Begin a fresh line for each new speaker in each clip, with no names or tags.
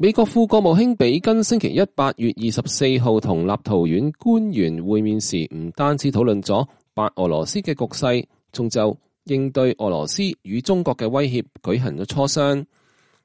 美國副國務卿比根星期一8月24號同立陶宛官員會面時，唔單止討論咗白俄羅斯嘅局勢，仲就應對俄羅斯與中國嘅威脅舉行咗磋商。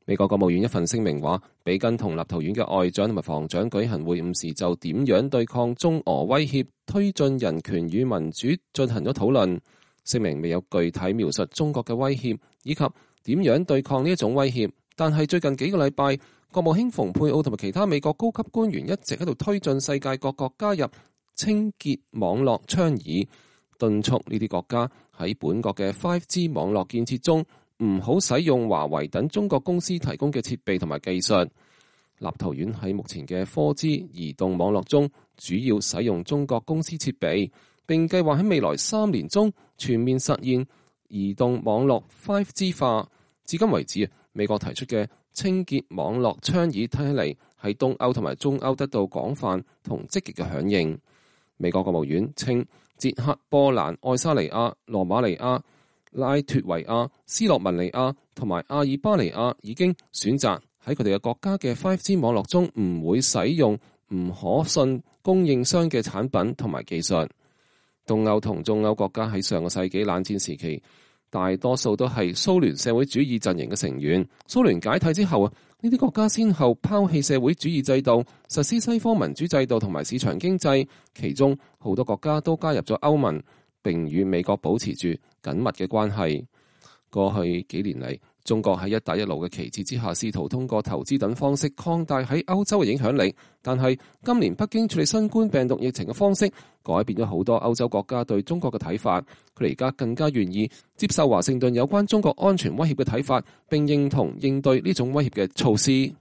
美國國務院一份聲明話，比根同立陶宛嘅外長同埋防長舉行會晤時，就點樣對抗中俄威脅、推進人權與民主進行咗討論。聲明未有具體描述中國嘅威脅以及點樣對抗呢一種威脅，但係最近幾個禮拜，國務卿蓬佩奧同埋其他美國高級官員一直喺度推進世界各國加入清潔網絡倡議，敦促呢啲國家喺本國嘅 5G 網絡建設中唔好使用華為等中國公司提供嘅設備同埋技術。立陶宛喺目前嘅 4G 移動網絡中主要使用中國公司設備，並計劃喺未來3年中全面實現移動網絡 5G 化。至今為止，美國提出嘅清潔網絡倡議睇起嚟喺東歐同埋中歐得到廣泛同積極嘅響應。美國國務院稱，捷克、波蘭、愛沙尼亞、羅馬尼亞、拉脫維亞、斯洛文尼亞同埋阿爾巴尼亞已經選擇喺佢哋嘅國家嘅 5G 網絡中唔會使用唔可信供應商嘅產品同埋技術。東歐同中歐國家喺上個世紀冷戰時期，大多數都係蘇聯社會主義陣營嘅成員。蘇聯解體之後啊，呢啲國家先後拋棄社會主義制度，實施西方民主制度同埋市場經濟。其中好多國家都加入咗歐盟，並與美國保持住緊密嘅關係。過去幾年嚟，中國喺一帶一路嘅旗幟之下，試圖通過投資等方式擴大喺歐洲嘅影響力。但係今年北京處理新冠病毒疫情嘅方式，改變咗好多歐洲國家對中國嘅睇法。佢哋而家更加願意接受華盛頓有關中國安全威脅嘅睇法，並認同應對呢種威脅嘅措施。